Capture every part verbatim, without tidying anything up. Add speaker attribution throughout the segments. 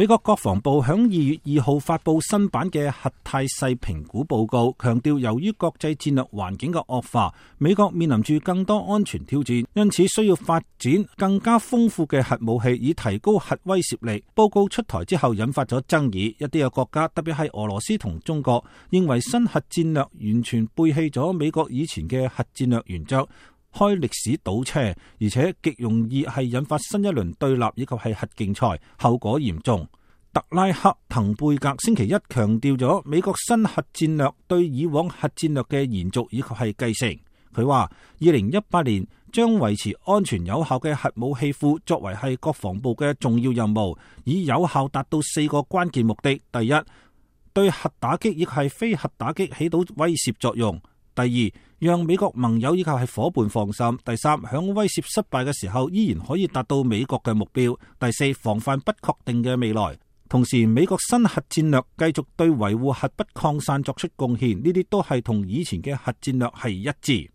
Speaker 1: 美國國防部響二月二號發布新版嘅核態勢評估報告，強調由於國際戰略環境嘅惡化，美國面臨住更多安全挑戰，因此需要發展更加豐富嘅核武器，以提高核威懾力。報告出台之後引發咗爭議，一啲嘅國家，特別係俄羅斯同中國，認為新核戰略完全背棄咗美國以前嘅核戰略原則，開歷史倒車，而且極容易係引發新一輪對立以及係核競賽，後果嚴重。特拉克滕貝格星期一強調咗美國新核戰略對以往核戰略嘅延續以及係繼承。佢話二零一八年將維持安全有效嘅核武器庫作為係國防部嘅重要任務，以有效達到四個關鍵目的：第一，對核打擊以及係非核打擊起到威懾作用；第二，讓美國盟友以及係夥伴放心；第三，響威懾失敗嘅時候依然可以達到美國嘅目標；第四，防範不確定嘅未來。同時，美國新核戰略繼續對維護核不擴散作出貢獻，呢啲都係同以前嘅核戰略係一致。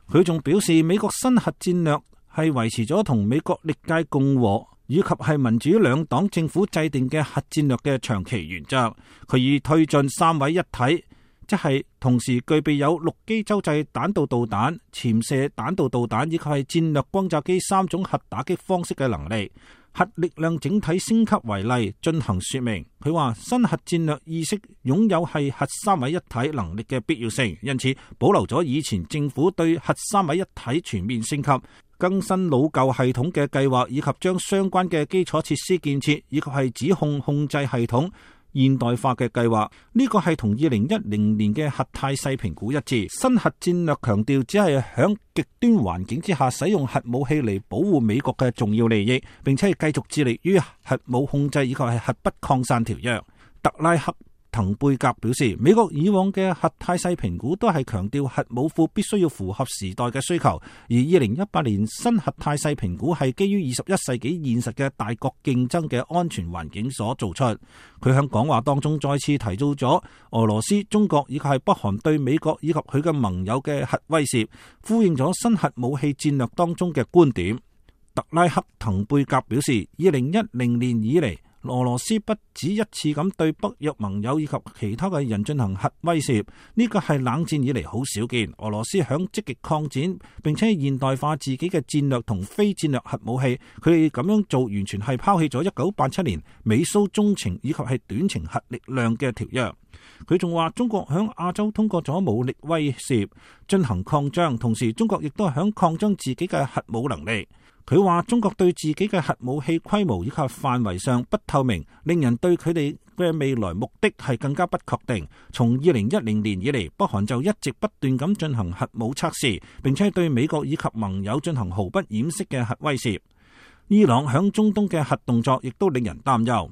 Speaker 1: 佢仲表示，美國新核戰略係維持咗同美國歷屆共和以及係民主兩黨政府制定嘅核戰略嘅長期原則。佢以推進三位一體，即係同時具備有陸基洲際彈道導彈、潛射彈道導彈以及係戰略轟炸機三種核打擊方式嘅能力，核力量整體升級為例進行說明。佢話新核戰略意識擁有係核三位一體能力嘅必要性，因此保留咗以前政府對核三位一體全面升級、更新老舊系統嘅計劃，以及將相關嘅基礎設施建設以及係指控控制系統現代化嘅計劃，呢個係同二零一零年嘅核態勢評估一致。新核戰略強調只係響極端環境之下使用核武器嚟保護美國嘅重要利益，並且係繼續致力於核武控制以及係核不擴散條約。特拉克滕貝格表示，美國以往嘅核態勢評估都係強調核武庫必須要符合時代嘅需求，而二零一八年新核態勢評估係基於二十一世紀現實嘅大國競爭嘅安全環境所做出。佢喺講話當中再次提到咗俄羅斯、中國以及係北韓對美國以及佢嘅盟友嘅核威懾，呼應咗新核武器戰略當中嘅觀點。特拉克滕貝格表示，二零一零年以嚟，俄羅斯不止一次咁對北約盟友以及其他嘅人進行核威懾，呢個係冷戰以嚟好少見。俄羅斯響積極擴展並且現代化自己嘅戰略同非戰略核武器，佢哋咁樣做完全係拋棄咗一九八七年美蘇中程以及係短程核力量嘅條約。佢仲話中國響亞洲通過咗武力威懾進行擴張，同時中國亦都係響擴張自己嘅核武能力。佢話中國對自己嘅核武器規模以及範圍上不透明，令人對佢哋嘅未來目的係更加不確定。從二零一零年以嚟，北韓就一直不斷咁進行核武測試，並且對美國以及盟友進行毫不掩飾嘅核威懾。伊朗響中東嘅核動作亦都令人擔憂。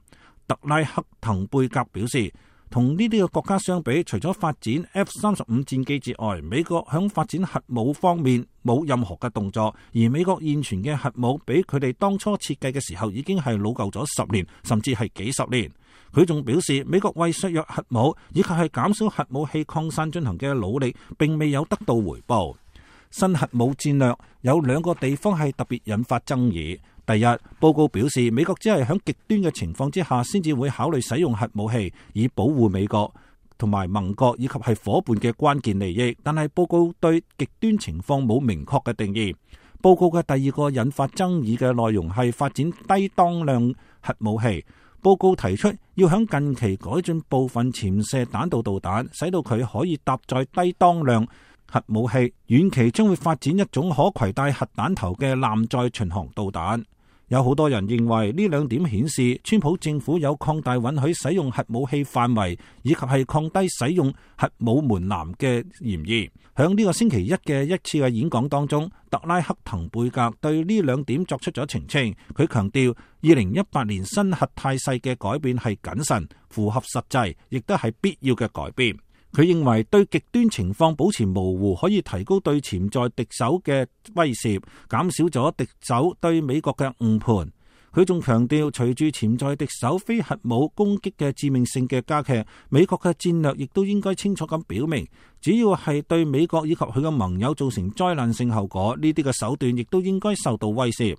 Speaker 1: 特拉克滕貝格表示，同呢啲嘅國家相比，除咗發展 F 三十五戰機之外，美國響發展核武方面冇任何嘅動作，而美國現存嘅核武比佢哋當初設計嘅時候已經係老舊咗十年，甚至係幾十年。佢仲表示，美國為削弱核武以及係減少核武器擴散進行嘅努力並未有得到回報。新核武戰略有兩個地方係特別引發爭議。第一，報告表示美國只係喺極端嘅情況之下先至會考慮使用核武器，以保護美國同埋盟國以及係夥伴嘅關鍵利益。但係報告對極端情況冇明確嘅定義。報告嘅第二個引發爭議嘅內容係發展低當量核武器。報告提出要喺近期改進部分潛射彈道導彈，使到佢可以搭載低當量核武器。遠期將會發展一種可攜帶核彈頭嘅艦載巡航導彈。有好多人認為呢兩點顯示川普政府有擴大允許使用核武器範圍以及係降低使用核武門檻嘅嫌疑。響呢個星期一嘅一次嘅演講當中，特拉克滕貝格對呢兩點作出咗澄清。佢強調二零一八年新核態勢嘅改變係謹慎、符合實際，亦都係必要嘅改變。佢認為對極端情況保持模糊，可以提高對潛在敵手嘅威懾，減少咗敵手對美國嘅誤判。佢仲強調，隨住潛在敵手非核武攻擊嘅致命性嘅加劇，美國嘅戰略亦都應該清楚咁表明，只要係對美國以及佢嘅盟友造成災難性後果，呢啲嘅手段亦都應該受到威懾。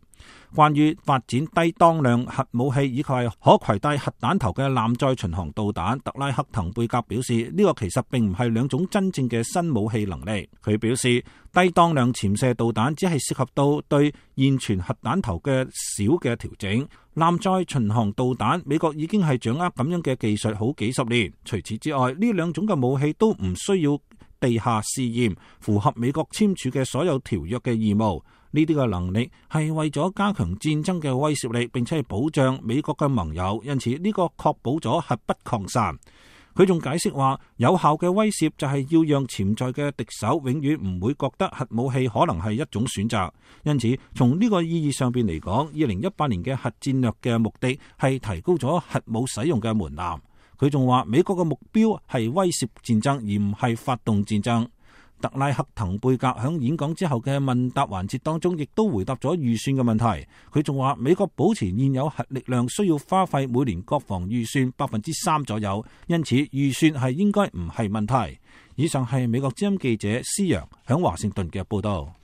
Speaker 1: 關於發展低當量核武器以及係可攜帶核彈頭嘅艦載巡航導彈，特拉克滕貝格表示呢個其實並唔係兩種真正嘅新武器能力。佢表示低當量潛射導彈只係涉及到對現存核彈頭嘅小嘅調整，艦載巡航導彈美國已經係掌握咁樣嘅技術好幾十年。除此之外，呢兩種嘅武器都唔需要地下試驗，符合美國簽署嘅所有條約嘅義務。呢啲嘅能力係為咗加強戰爭嘅威懾力，並且係保障美國嘅盟友，因此呢個確保咗核不擴散。佢仲解釋話，有效嘅威懾就係要讓潛在嘅敵手永遠唔會覺得核武器可能係一種選擇。因此，從呢個意義上邊嚟講，二零一八年嘅核戰略嘅目的係提高咗核武使用嘅門檻。佢仲話，美國嘅目標係威懾戰爭，而唔係發動戰爭。特拉克滕貝格喺演講之後嘅問答環節當中，亦都回答咗預算嘅問題。佢仲話，美國保持現有核力量需要花費每年國防預算百分之三左右，因此預算係應該唔係問題。以上係美國之音記者施洋喺華盛頓嘅報道。